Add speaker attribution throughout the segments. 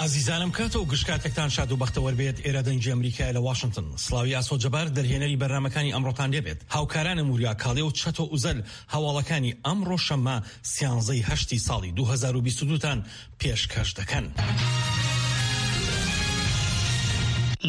Speaker 1: ئازیزانم کاتە و گشت کاتێکتان شاد و بەختەوەر بێت ئێرە دەنگی ئەمریکایە لە واشنتن سڵاوی ئاسۆ جەبار دەرهێنەری بەرنامەکانی ئەمڕۆتان لێبێت هاوکارانم وریا کاڵێ و چەتۆ ئوزەل هەواڵەکانی ئەمڕۆ شەممە سیانزەی هەشتی ساڵی 2022 تان پێشکەش دەکەن.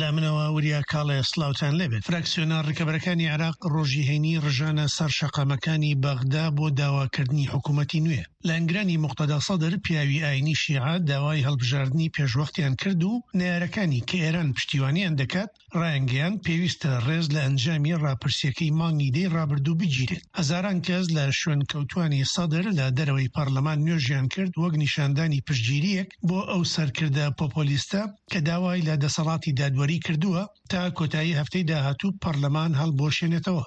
Speaker 2: لە منەوە وریا کاڵێ سڵاوتان لێبێت. فراکسیۆنە ڕکەبەرەکانی عێراق ڕۆژی هەینی ڕژانە سەر شەقامەکانی بەغدا بۆ داواکردنی حکوومەتی نوێ. لایەنگرانی موقتەدا سەدر، پیاوی ئایینی شیعە، داوای هەڵبژاردنی پێشوەختیان کرد و نەیارەکانی کە ئێران پشتیوانیان دەکات، ڕایانگەیاند پێویستە ڕێز لە ئەنجامی ڕاپرسییەکەی مانگی دەی ڕابردوو بگیرێت. هەزاران کەس لە شوێنکەوتوانی سەدر لە دەرەوەی پەڕلەمان نوێژیان کرد وەک نیشاندانی پشتگیرییەک بۆ ئەو سەرکردە پۆپۆلیستە کە داوای لە دەسەڵاتی دادوەری کردووە تا کۆتایی هەفتەی داهاتوو پەڕلەمان هەڵبوەشێنێتەوە.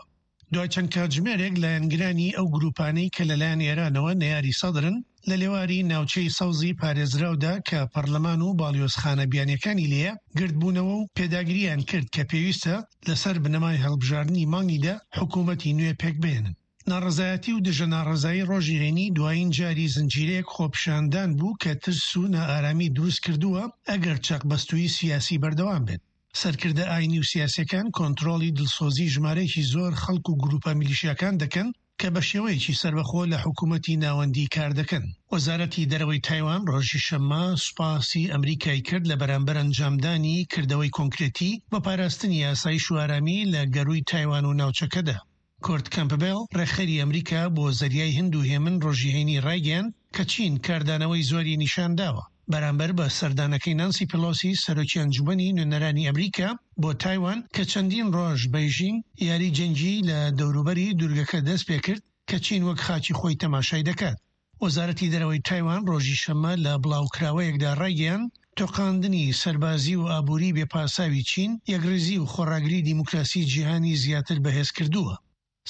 Speaker 2: دوای چەند کاتژمێرێک لایەنگرانی ئەو گرووپانەی کە لەلایەن ئێرانەوە نەیاری سەدرن لە لێواری ناوچەی سەوزی پارێزراودا کە پەڕلەمان و باڵیۆزخانە بیانیەکانی لێیە گردبوونەوە و پێداگرییان کرد کە پێویستە لەسەر بنەمای هەڵبژاردنی مانگی دە حکوومەتی نوێ پێکبهێنن. ناڕەزایەتی و دژە ناڕەزایی ڕۆژی هەینی دوایین جاری زنجیرەیەک خۆپیشاندان بوو کە ترس و نائارامی دروست کردووە ئەگەر چەقبەستوویی سیاسی بەردەوام بێت. سەرکردە ئاینی و سیاسیەکان کۆنترۆڵی دڵسۆزی ژمارەیەکی زۆر خەڵک و گروپە میلیشیاکان دەکەن کە بە شێوەیەکی سەربەخۆ لە حکومەتی ناوەندی کاردەکەن. وەزارەتی دەرەوەی تایوان ڕۆژی شەممە سوپاسی ئەمریکای کرد لە بەرامبەر ئەنجامدانی کردەوەی کۆنکرێتی بۆ پاراستنی ئاسایش و ئارامی لە گەرووی تایوان و ناوچەکەدا. کورت کەمپبێڵ، ڕێکخەری ئەمریکا بۆ زەریای هند و هێمن ڕۆژی هەینی ڕایگەیاند کە چین کاردانەوەی زۆری نیشان داوە بەرامبەر بە سەردانەکەی نانسی پێلۆسی سەرۆکی ئەنجومەنی نوێنەرانی ئەمریکا بۆ تایوان کە چەندین ڕۆژ بەیژینگ یاری جەنگیی لە دەوروبەری دورگەکە دەستپێکرد کە چین وەک خاکی خۆی تەماشای دەکات. وەزارەتی دەرەوەی تایوان ڕۆژی شەممە لە بڵاوکراوەیەکدا ڕایگەیاند، تۆقاندنی سەربازی و ئابووری بێ پاساوی چین، یەکڕیزی و خۆڕاگری دیموکراسی جیهانی زیاتر بەهێز کردووە.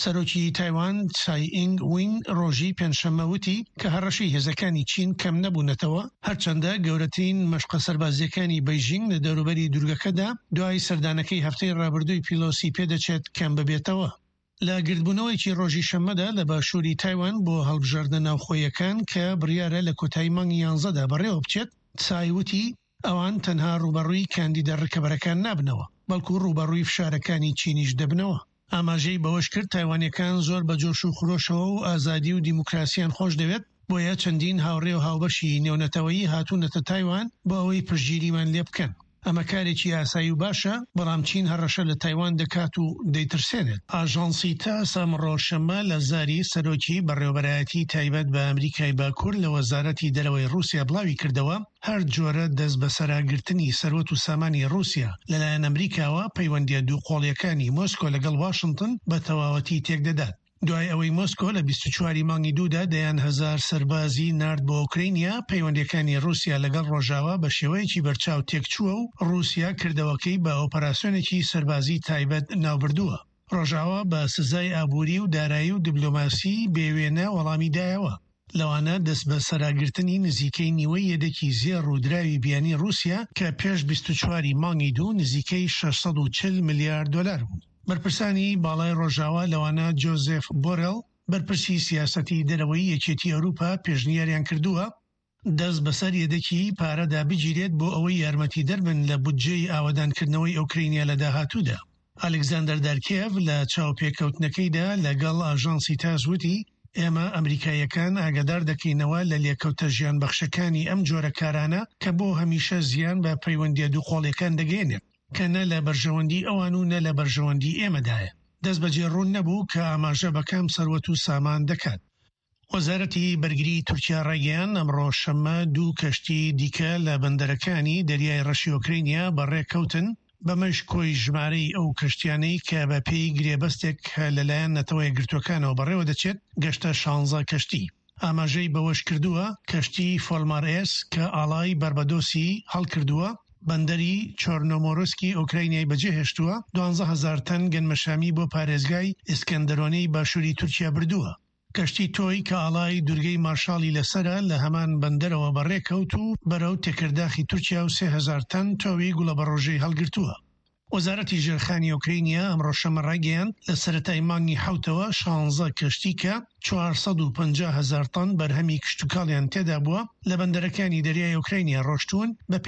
Speaker 2: سەرۆکی تایوان تسای ئینگ وین ڕۆژی پێنجشەممە وتی کە هەڕەشەی هێزەکانی چین کەم نەبوونەتەوە، هەرچەندە گەورەترین مەشقە سەربازییەکانی بەیژینگ لە دەوروبەری دوورگەکەدا دوای سەردانەکەی هەفتەی ڕابردووی پیلۆسی پێدەچێت کەم ببێتەوە. لە گردبوونەوەیەکی ڕۆژی شەممەدا لە باشووری تایوان بۆ هەڵبژاردنە ناوخۆییەکان کە بڕیارە لە کۆتایی مانگی یانزەدا بەڕێوەبچێت، تسای وتی، ئەوان تەنها ڕووبەڕووی کاندیدە ڕکەبەرەکان نابنەوە، بەڵکو ڕووبەڕووی فشارەکانی چینیش دەبنەوە. ئاماژەی بەوەشکرد، تایوانییەکان زۆر بە جۆش و خرۆشەوە و ئازادی و دیموکراسیان خۆشدەوێت، بۆیە چەندین هاوڕێ و هاوبەشی نێونەتەوەیی هاتوونەتە تایوان بۆ ئەوەی پشتگیریمان لێبکەن. ئەمە کارێکی ئاسایی و باشە، بەڵام چین هەڕەشە لە تایوان دەکات و دەیترسێنێت. ئاژانسی تاس ئەمڕۆ شەممە لە زاری سەرۆکی بەڕێوەبەرایەتی تایبەت بە ئەمریکای باکوور لە وەزارەتی دەرەوەی ڕووسیا بڵاویکردەوە، هەر جۆرە دەستبەسەراگرتنی سەروەت و سامانی ڕووسیا لەلایەن ئەمریکاوە پەیوەندییە دووقۆڵییەکانی مۆسکۆ لەگەڵ واشنتن بە تەواوەتی تێکدەدات. دوای ئەوەی مۆسکۆ لە 24 ی مانگی دوودا دەیان هەزار سەربازی نارد بۆ ئۆکرەینیا، پەیوەندییەکانی ڕووسیا لەگەڵ ڕۆژاوا بە شێوەیەکی بەرچاو تێکچووە و ڕووسیا کردەوەکەی بە ئۆپەراسیۆنێکی سەربازی تایبەت ناوبردووە. ڕۆژاوا بە سزای ئابووری و دارایی و دیبلۆماسی بێ وێنە وەڵامی دایەوە، لەوانە دەستبەسەراگرتنی نزیکەی نیوەی یەدەکی زێڕ و دراوی بیانی ڕووسیا کە پێش 24 ی مانگی دوو نزیکەی 640 ملیار دۆلار بوو. بەرپرسانی باڵای ڕۆژاوا لەوانە جۆزێف بۆرێڵ، بەرپرسی سیاسەتی دەرەوەی یەکێتی ئەوروپا پێشنیاریان کردووە، دەست بەسەر یەدەکی پارەدا بگیرێت بۆ ئەوەی یارمەتیدەر بن لە بودجەی ئاوەدانکردنەوەی ئۆکرەینیا لە داهاتوودا. ئالێکزاندەر دارکێڤ لە چاوپێکەوتنەکەیدا لەگەڵ ئاژانسی تاس وتی، ئێمە ئەمریکاییەکان ئاگادار دەکەینەوە لە لێکەوتە ژیانبەخشەکانی ئەم جۆرە کارانە کە بۆ هەمیشە زیان بە پەیوەندییە دووقۆڵییەکان دەگەیەنێت. کە نە لە بەرژەوەندی ئەوان و نە لە بەرژەوەندی ئێمەدایە. دەستبەجێ ڕوون نەبوو کە ئاماژە بە کام سەروەت و سامان دەکات. وەزارەتی بەرگریی تورکیا ڕایگەیاند، ئەمڕۆ شەممە دوو کەشتی دیکە لە بەندەرەکانی دەریای ڕەشی ئۆکرەینیا بەڕێکەوتن، بەمەش کۆی ژمارەی ئەو کەشتیانەی کە بەپێی گرێبەستێک کە لەلایەن نەتەوە یەکگرتووەکانەوە بەڕێوەدەچێت، گەشتە شانزە کەشتی. ئاماژەی بەوەشکردووە، کەشتی فۆلمار ئێس کە ئاڵای باربادۆسی هەڵکردووە، بەندەری چۆرنۆمۆرسکی ئۆکراینیای بەجێهێشتووە، 12 هەزار تەن گەنمەشامی بۆ پارێزگای ئیسکەندەرۆنەی باشووری تورکیا بردووە. کەشتی تۆی کە ئاڵای دورگەی مارشاڵی لەسەرە لە هەمان بەندەرەوە بەڕێکەوت و بەرەو تێکرداخی تورکیا و 3000 تەن تۆوی گوڵەبەڕۆژەی هەڵگرتووە. وەزارەتی ژێرخانی ئۆکرەینیا ئەمڕۆ شەممە ڕایگەیاند، لە سەرەتای مانگی حەوتەوە شانزە کەشتی کە 450 هەزار تەن بەرهەمی کشتوکاڵیان تێدابووە لە بەندەرەکانی دەریای ئۆکرەینیا ڕۆشتوون، بەپێی.